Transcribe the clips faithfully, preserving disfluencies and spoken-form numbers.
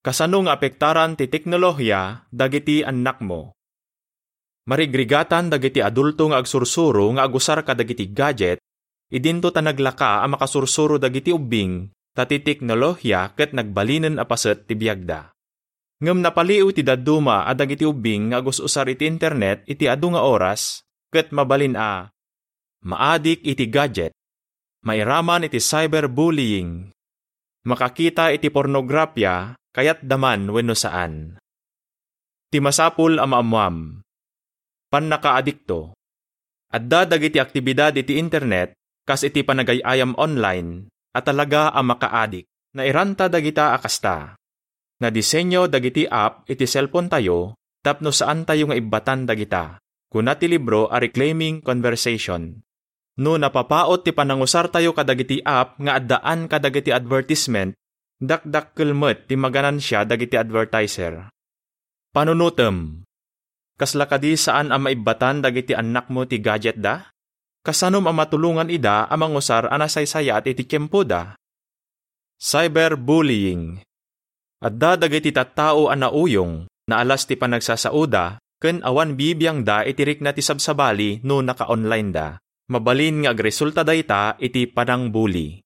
Kasano nga apektaran ti teknolohiya dagiti annakmo? Marigrigatan dagiti adulto nga agsursuro nga agusar kadagiti gadget, idinto ta naglaka a makasursuro dagiti ubbing, ta ti teknolohiya ket nagbalinen a paset ti biagda. Ngem napaliw ti dadduma a dagiti ubbing nga agus-usar iti internet iti adu nga oras, ket mabalin a maadik iti gadget, mairaman iti cyberbullying, makakita iti pornografia, kayatda man wenno saan. Ti masapul a maammuam, pannakaadikto. Adda dagiti aktibidad iti internet kas iti panagay-ayam online a talaga a makaadik. Nairanta dagita a kasta. Nadisenyo dagiti app iti cellphone tayo tapno saantayo nga ibbatan dagita, kuna ti libro a Reclaiming Conversation. No napapaut ti panangusartayo kadagiti app nga addaan kadagiti advertisement, dakdakkel met ti maganansia dagiti advertiser. Panunotem. Kasla kadi saan a maibbatan dagiti annakmo ti gadgetda? Kasanom a matulongan ida a mangusar a nasaysayaat iti tiempoda? Cyberbullying. Adda dagiti tattao a nauyong, naalas ti panagsasaoda, ken awan bibiangda iti rikna ti sabsabali no naka-online-da. Mabalin nga agresulta dayta iti panangbuli.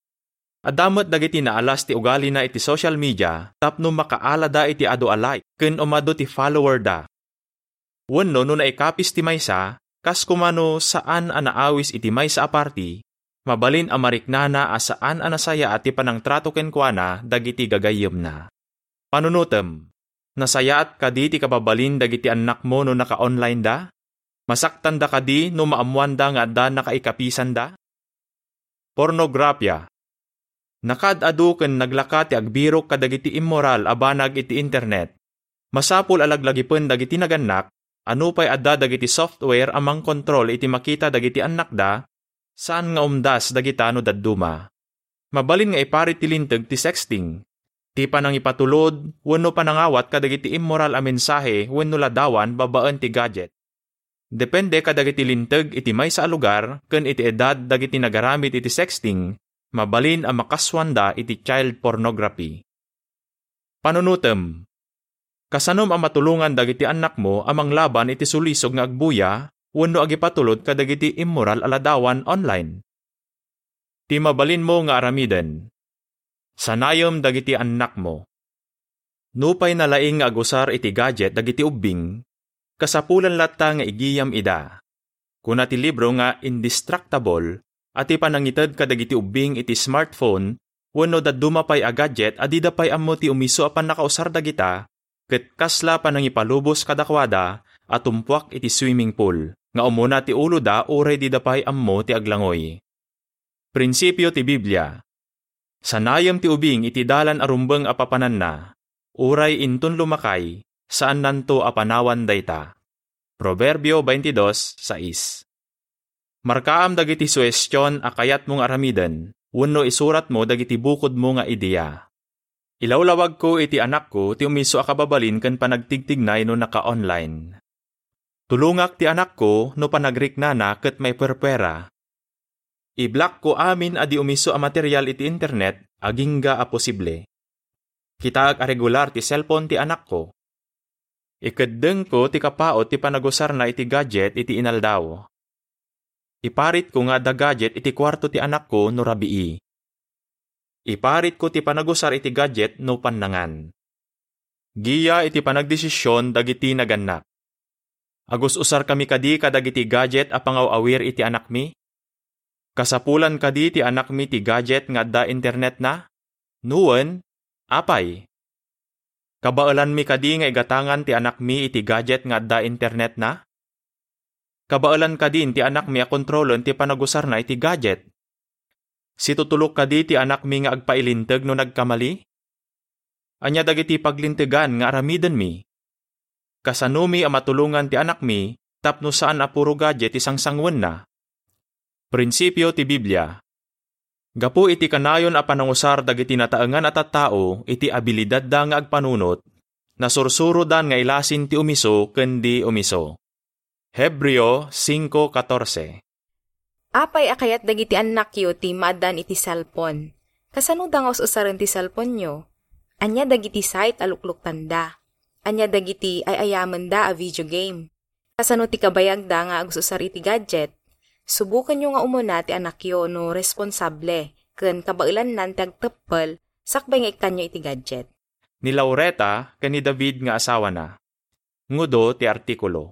Adda met dagiti naalas ti ugalina iti social media tapno makaalada iti adu a like ken umadu ti follower-da. Wenno no naikapis ti maysa, kas koma no saan a naawis iti maysa a party, mabalin a mariknana a saan a nasayaat ti panangtrato kenkuana dagiti gagayyemna. Panunotem, nasayaat kadi ti kababalin dagiti annakmo no naka-online-da? Masaktanda kadi no maammoanda nga adda nakaikapisanda? Pornografia. Nakaad-adu ken naglaka ti agbirok kadagiti immoral a banag iti internet. Masapul a laglagipen dagiti nagannak a nupay adda dagiti software a mangkontrol iti makita dagiti annakda, saan nga umdas dagita no dadduma. Mabalin nga iparit ti linteg ti sexting, ti panangipatulod wenno panangawat kadagiti immoral a mensahe wenno ladawan babaen ti gadget. Depende kadagiti linteg iti maysa a lugar ken iti edad dagiti nagaramid iti sexting, mabalin a makasuanda iti child pornography. Panunotem. Kasanom a matulongan dagiti annakmo a manglaban iti sulisog nga agbuya wenno agipatulod kadagiti immoral a ladawan online? Ti mabalinmo nga aramiden. Sanayem dagiti annakmo. Nupay nalaing nga agusar iti gadget dagiti ubbing, kasapulan latta nga igiyam ida. Kuna ti libro nga Indistractable a ti panangited kadagiti ubbing iti smartphone wenno dadduma pay a gadget a dida pay ammo ti umiso a pannakausar dagita, ket kasla panangipalubos kadakuada a tumpuak iti swimming pool nga umuna ti uloda uray dida pay ammo ti aglangoy. Prinsipio ti Biblia. Sanayem ti ubing iti dalan a rumbeng a papananna, uray inton lumakay, saannanto a panawan dayta. Proverbio twenty-two sais. Markaam dagiti suhestion a kayatmo nga aramiden wenno isuratmo dagiti bukodmo nga idea. Ilawlawagko iti anakko ti umiso a kababalin ken panagtigtignay no naka-online. Tulongak ti anakko no panagriknana ket maipuerpuera. Iblakko amin a di umiso a material iti internet agingga a posible. Kitaek a regular ti cellphone ti anakko. Ikeddengko ti kapaut ti panagusarna iti gadget iti inaldaw. Iparitko nga adda gadget iti kuarto ti anakko no rabii. Iparitko ti panagusar iti gadget no pannangan. Giya iti panagdesisyon dagiti nagannak. Agus-usarkami kadi kadagiti gadget a pangaw-awir iti anakmi? Kasapulan kadi ti anakmi ti gadget nga adda internetna? No wen, apay? Kabaelanmi kadi nga igatangan ti anakmi iti gadget nga adda internetna? Kabaelan kadin ti anakmi a kontrolen ti panagusarna iti gadget? Situtulok kadi ti anakmi nga agpailinteg no nagkamali? Ania dagiti paglintegan nga aramidenmi? Kasanomi a matulongan ti anakmi tapno saan a puro gadget ti sangsanguenna? Prinsipio ti Biblia. Gapu iti kanayon a panangusar dagiti nataengan a tattao iti abilidadda nga agpanunot, nasursurodan nga ilasin ti umiso ken di umiso. Hebreo cinco catorce. Apay a kayat dagiti annakyo ti maaddaan iti cellphone? Kasanoda nga us-usaren ti cellphonenyo? Ania dagiti site a lukluktanda? Ania dagiti ay-ayamenda a video game? Kasano ti kabayagda nga agus-usar iti gadget? Subukenyo nga umuna ti anakyo no responsable ken kabaelannan ti agteppel sakbay nga ikkanyo iti gadget. Ni Laureta ken ni David nga asawana. Ngudo ti artikulo.